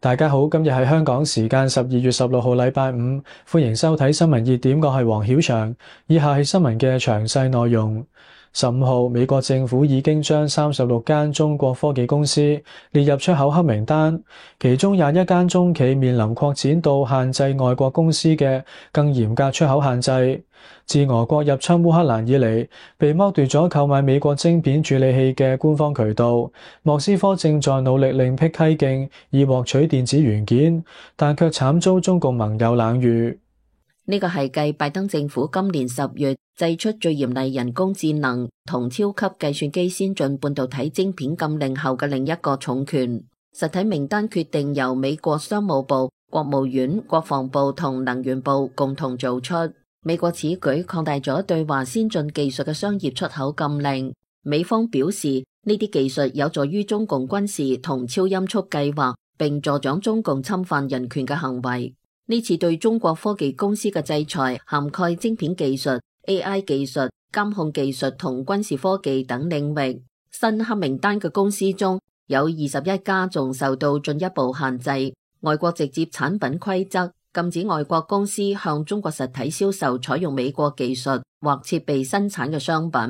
大家好，今日係香港時間12月16號禮拜五，歡迎收睇新聞熱點，我係黃曉翔。以下係新聞嘅詳細內容。15號，美國政府已經將36間中國科技公司列入出口黑名單，其中21間中企面臨擴展到限制外國公司嘅更嚴格出口限制。自俄國入侵烏克蘭以嚟，被剝奪咗購買美國晶片處理器嘅官方渠道。莫斯科正在努力另闢蹊徑以獲取電子元件，但卻慘遭中共盟友冷遇。呢個係繼拜登政府今年10月祭出最嚴厲人工智能同超級計算機先進半導體晶片禁令後嘅另一個重拳。實體名單決定由美國商務部、國務院、國防部同能源部共同做出。美國此舉擴大咗對華先進技術嘅商業出口禁令。美方表示，呢啲技術有助於中共軍事同超音速計劃，並助長中共侵犯人權嘅行為。呢次對中國科技公司嘅制裁涵蓋晶片技術、AI 技術、監控技術同軍事科技等領域。新黑名單嘅公司中有21家仲受到進一步限制。外國直接產品規則禁止外國公司向中國實體銷售採用美國技術或設備生產嘅商品。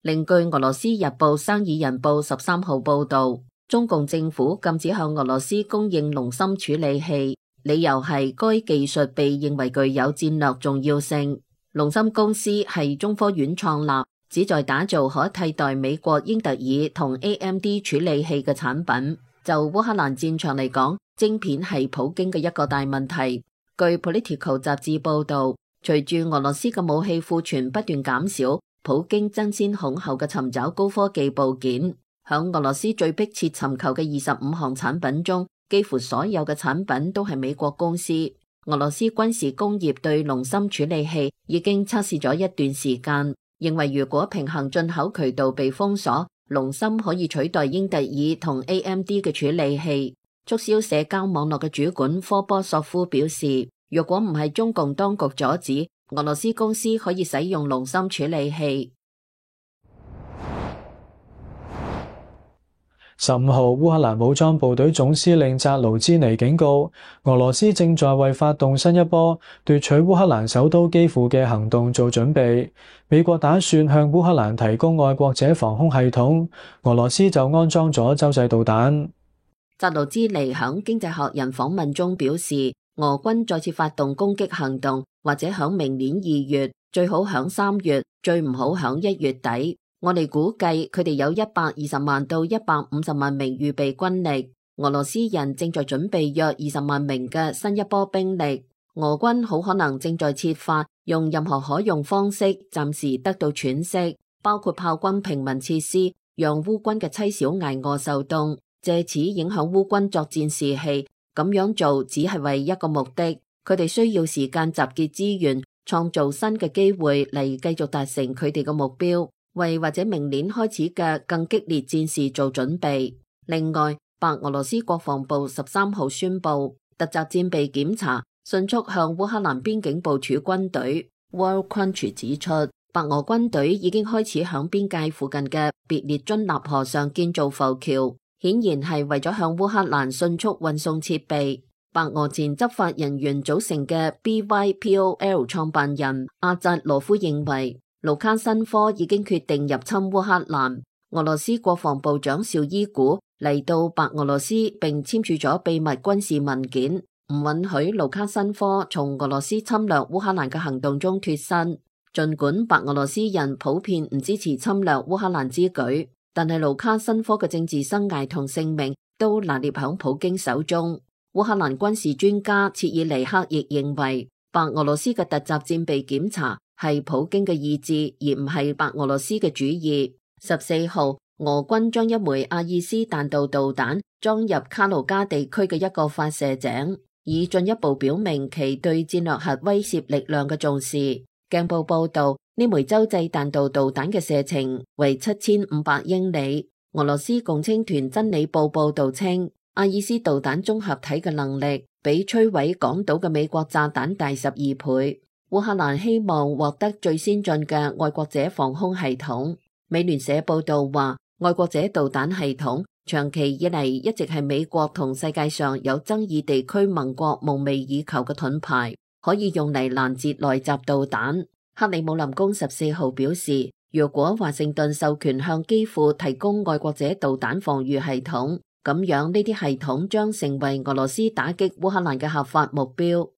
另據俄羅斯日報生意人報13號報道，中共政府禁止向俄羅斯供應龍芯處理器，理由係該技術被認為具有戰略重要性。龍芯公司係中科院創立，旨在打造可替代美國英特爾同 AMD 處理器嘅產品。就烏克蘭戰場嚟講，晶片係普京嘅一個大問題。據 Political 雜誌報道，隨住俄羅斯嘅武器庫存不斷減少，普京爭先恐後嘅尋找高科技部件。響俄羅斯最迫切尋求嘅25項產品中，幾乎所有嘅產品都係美國公司。俄羅斯軍事工業對龍芯處理器已經測試咗一段時間，認為如果平衡進口渠道被封鎖，龍芯可以取代英特爾同 AMD 嘅處理器。促銷社交網絡嘅主管科波索夫表示，若果唔係中共當局阻止，俄羅斯公司可以使用龍芯處理器。15號，烏克蘭武裝部隊總司令扎盧茲尼警告，俄羅斯正在為發動新一波奪取烏克蘭首都基輔嘅行動做準備。美國打算向烏克蘭提供愛國者防空系統，俄羅斯就安裝咗洲際導彈。扎盧茲尼響經濟學人訪問中表示，俄軍再次發動攻擊行動，或者響明年2月，最好響3月，最唔好響1月底。我哋估計佢哋有120萬到150萬名預備軍力，俄羅斯人正在準備約20萬名嘅新一波兵力。俄軍好可能正在設法用任何可用方式暫時得到喘息，包括炮轟平民設施，讓烏軍嘅妻小挨餓受凍，借此影響烏軍作戰士氣。咁樣做只係為一個目的，佢哋需要時間集結資源，創造新嘅機會嚟繼續達成佢哋嘅目標，為或者明年開始嘅更激烈戰事做準備。另外，白俄羅斯國防部13號宣布，突襲戰備檢查迅速向烏克蘭邊境部署軍隊。Worldcrunch 指出，白俄軍隊已經開始響邊界附近嘅別列津納河上建造浮橋，顯然係為咗向烏克蘭迅速運送設備。白俄前執法人員組成嘅 BYPOL 創辦人阿扎羅夫認為，盧卡申科已經決定入侵烏克蘭。俄羅斯國防部長紹伊古嚟到白俄羅斯並簽署咗秘密軍事文件，唔允許盧卡申科從俄羅斯侵略烏克蘭嘅行動中脫身。儘管白俄羅斯人普遍唔支持侵略烏克蘭之舉，但係盧卡申科嘅政治生涯同性命都拿捏響普京手中。烏克蘭軍事專家切爾尼克亦認為，白俄羅斯嘅突襲戰備檢查係普京嘅意志，而唔係白俄羅斯嘅主意。14號，俄軍將一枚阿爾斯彈道導彈裝入卡盧加地區嘅一個發射井，以進一步表明其對戰略核威懾力量嘅重視。鏡報報道，呢枚洲際彈道導彈嘅射程為7500英里。俄羅斯共青團真理報報道稱，阿爾斯導彈綜合體嘅能力比摧毀港島嘅美國炸彈大12倍。烏克蘭希望獲得最先進嘅愛國者防空系統。美聯社報道話，愛國者導彈系統長期以嚟一直係美國同世界上有爭議地區盟國夢寐以求嘅盾牌，可以用嚟攔截來襲導彈。克里姆林宮14號表示，如果華盛頓授權向基輔提供愛國者導彈防禦系統，咁樣呢啲系統將成為俄羅斯打擊烏克蘭嘅合法目標。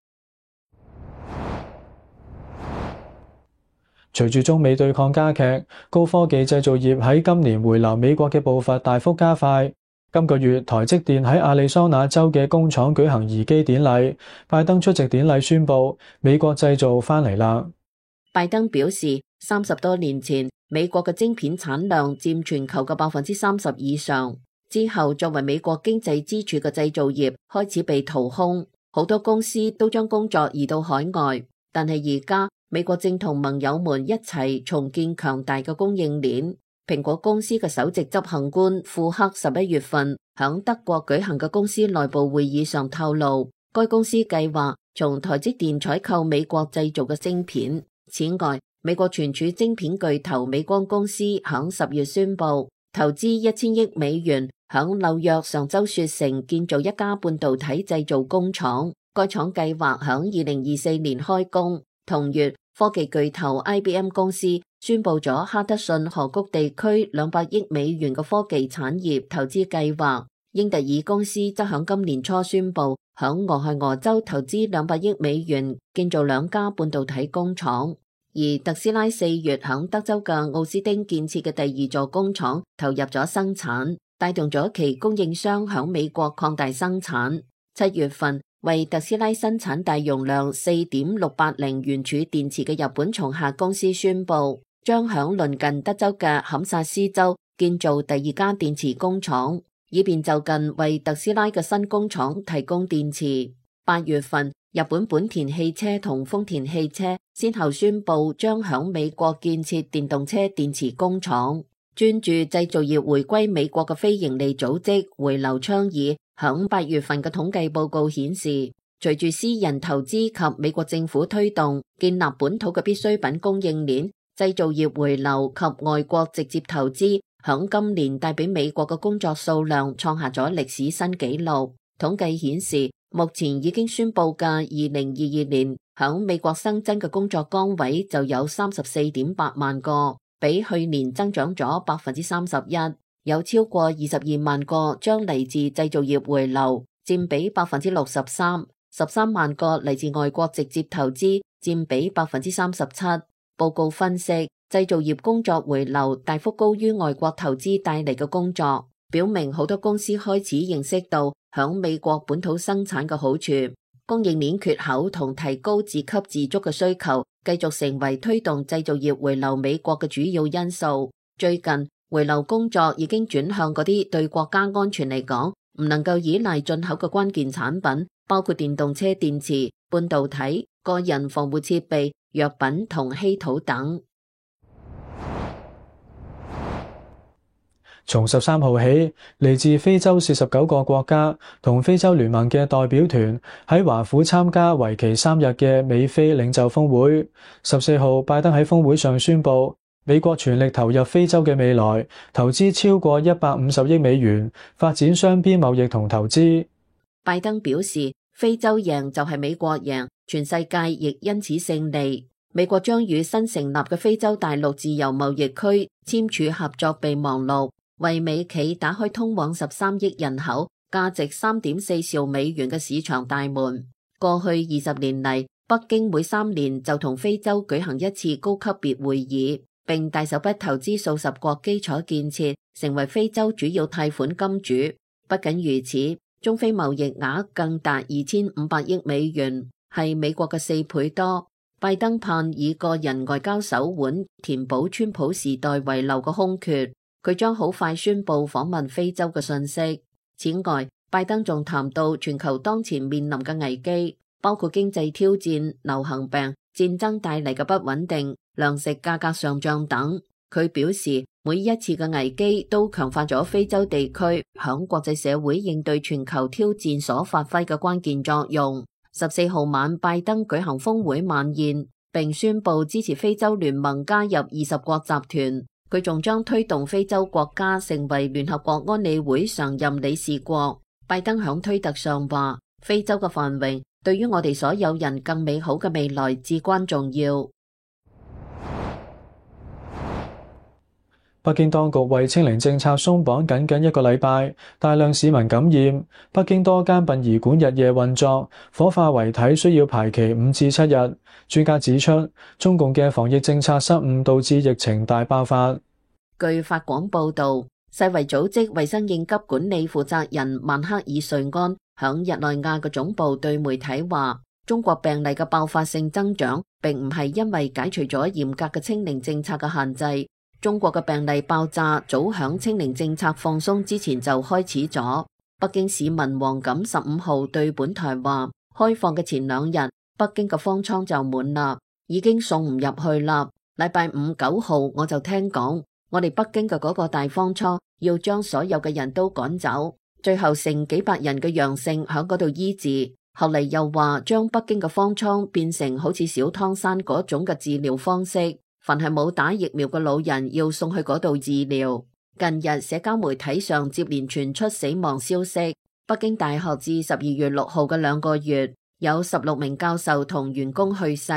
隨住中美對抗加劇，高科技製造業喺今年回流美國嘅步伐大幅加快。今個月，台積電喺亞利桑那州嘅工廠舉行移機典禮，拜登出席典禮宣布美國製造返嚟啦。拜登表示，30多年前美國嘅晶片產量佔全球嘅30%以上，之後作為美國經濟支柱嘅製造業開始被掏空，好多公司都將工作移到海外。但係而家美國正同盟友們一齊重建強大嘅供應鏈。蘋果公司嘅首席執行官庫克11月份響德國舉行嘅公司內部會議上透露，該公司計劃從台積電採購美國製造嘅晶片。此外，美國存儲晶片巨頭美光公司響10月宣布投資1000億美元響紐約上州雪城建造一家半導體製造工廠。該廠計劃響2024年開工。同月，科技巨頭 IBM 公司宣布咗哈德遜河谷地區200億美元嘅科技產業投資計劃。英特爾公司則響今年初宣布響俄亥俄州投資200億美元建造2家半導體工廠。而特斯拉4月響德州嘅奧斯汀建設嘅第2座工廠投入咗生產，帶動咗其供應商響美國擴大生產。7月份，為特斯拉生產大容量4.680圓柱電池嘅日本松下公司宣布，將響鄰近德州嘅堪薩斯州建造第2家電池工廠，以便就近為特斯拉嘅新工廠提供電池。8月份，日本本田汽車同豐田汽車先後宣布將響美國建設電動車電池工廠。專注製造業回歸美國嘅非營利組織回流倡議響8月份嘅統計報告顯示，隨住私人投資及美國政府推動建立本土嘅必需品供應鏈，製造業回流及外國直接投資響今年帶俾美國嘅工作數量創下咗歷史新紀錄。統計顯示，目前已經宣布嘅2022年響美國新增嘅工作崗位就有34.8萬個，比去年增長咗31%，有超過22萬個將嚟自製造業回流，佔比63%， 13萬個嚟自外國直接投資，佔比37%。報告分析，製造業工作回流大幅高於外國投資帶嚟嘅工作，表明好多公司開始認識到響美國本土生產嘅好處。供應鏈缺口同提高自給自足嘅需求繼續成為推動製造業回流美國嘅主要因素。最近回流工作已經轉向嗰啲對國家安全嚟講唔能夠依賴進口嘅關鍵產品，包括電動車電池、半導體、個人防護設備、藥品同稀土等。從13號起，嚟自非洲49個國家同非洲聯盟嘅代表團喺華府參加為期3日嘅美非領袖峰會。14號，拜登喺峰會上宣布，美國全力投入非洲嘅未來，投資超過150億美元，發展雙邊貿易同投資。拜登表示，非洲贏就係美國贏，全世界亦因此勝利。美國將與新成立嘅非洲大陸自由貿易區簽署合作備忘錄，為美企打開通往13億人口、價值3.4兆美元嘅市場大門。過去20年嚟，北京每3年就同非洲舉行一次高級別會議，並大手筆投資數十國基礎建設，成為非洲主要貸款金主。不僅如此，中非貿易額更達2500億美元，係美國嘅4倍多。拜登盼以個人外交手腕填補川普時代遺留嘅空缺。佢將好快宣布訪問非洲嘅信息。此外，拜登仲談到全球當前面臨嘅危機，包括經濟挑戰、流行病、戰爭帶嚟嘅不穩定、糧食價格上漲等。佢表示，每一次嘅危機都強化咗非洲地區響國際社會應對全球挑戰所發揮嘅關鍵作用。14號晚，拜登舉行峰會晚宴，並宣布支持非洲聯盟加入20國集團。佢仲將推動非洲國家成為聯合國安理會常任理事國。拜登響推特上話：非洲嘅繁榮對於我哋所有人更美好嘅未來至關重要。北京當局為清零政策鬆綁僅僅1個禮拜，大量市民感染，北京多間殯儀館日夜運作，火化遺體需要排期5至7日。專家指出，中共嘅防疫政策失誤導致疫情大爆發。據法廣報導，世衛組織衛生應急管理負責人曼克爾瑞安響日內瓦嘅總部對媒體話：中國病例嘅爆發性增長並唔係因為解除咗嚴格嘅清零政策嘅限制。中國嘅病例爆炸早響清零政策放鬆之前就開始咗。北京市民王錦15號對本台話：開放嘅前2日，北京嘅方艙就滿啦，已經送唔入去啦。禮拜5 9號我就聽講，我哋北京嘅嗰個大方艙要將所有嘅人都趕走，最後剩幾百人嘅陽性響嗰度醫治。後嚟又話將北京嘅方艙變成好似小湯山嗰種嘅治療方式。凡係冇打疫苗嘅老人要送去嗰度治療。近日社交媒體上接連傳出死亡消息。北京大學至12月6號嘅2個月，有16名教授同員工去世。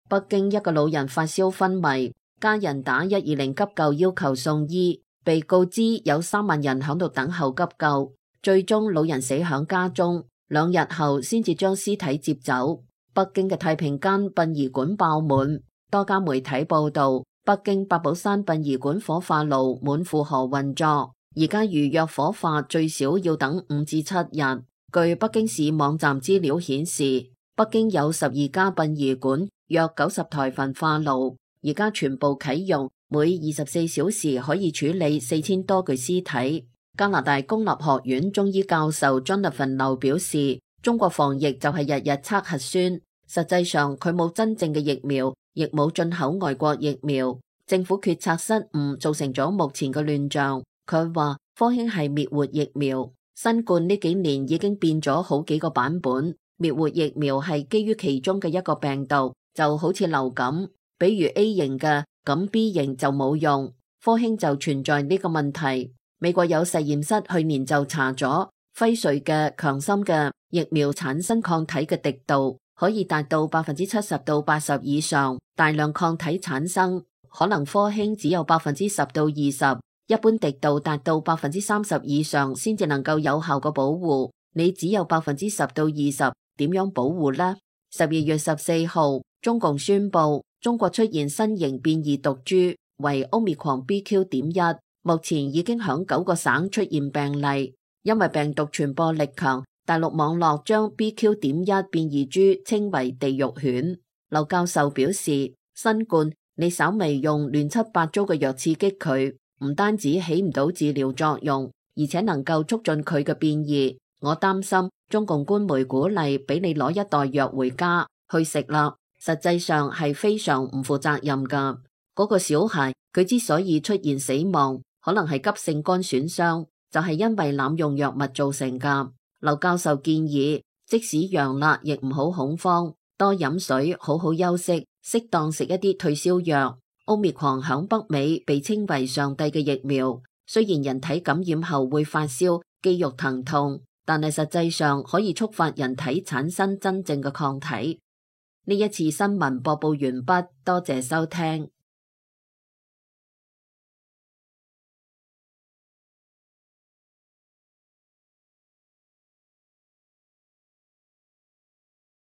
北京一個老人發燒昏迷，家人打120急救要求送醫，被告知有3萬人響度等候急救，最終老人死響家中，2日後先至將屍體接走。北京嘅太平間殯儀館爆滿。多家媒體報道，北京八寶山殯儀館火化爐滿負荷運作，而家預約火化最少要等5至7日。據北京市網站資料顯示，北京有12家殯儀館，約90台焚化爐，而家全部啟用，每24小時可以處理4000多具屍體。加拿大公立學院中醫教授 Jonathan 劉表示，中國防疫就係日日測核酸，實際上佢冇真正嘅疫苗。亦冇進口外國疫苗，政府決策失誤造成咗目前嘅亂象。佢話科興係滅活疫苗，新冠呢幾年已經變咗好幾個版本，滅活疫苗係基於其中嘅一個病毒，就好似流感，比如 A 型嘅，咁 B 型就冇用。科興就存在呢個問題。美國有實驗室去年就查咗輝瑞嘅強心嘅疫苗產生抗體嘅滴度，可以達到70%到80%以上，大量抗體產生，可能科興只有10%到20%，一般滴度達到30%以上先至能夠有效嘅保護。你只有10%到20%，點樣保護呢？12月14號，中共宣布中國出現新型變異毒株，為 Omicron BQ.1，目前已經響9個省出現病例，因為病毒傳播力強。大陸網絡將 BQ.1 變異株稱為地獄犬。劉教授表示，新冠你稍微用亂七八糟嘅藥刺激佢，唔單止起唔到治療作用，而且能夠促進佢嘅變異。我擔心中共官媒鼓勵俾你攞一袋藥回家去食啦，實際上係非常唔負責任噶。嗰個小孩佢之所以出現死亡，可能係急性肝損傷，就係因為濫用藥物造成噶。劉教授建議，即使陽啦，亦唔好恐慌，多飲水，好好休息，適當食一啲退燒藥。Omicron響北美被稱為上帝嘅疫苗，雖然人體感染後會發燒、肌肉疼痛，但係實際上可以觸發人體產生真正嘅抗體。呢一次新聞播報完畢，多謝收聽。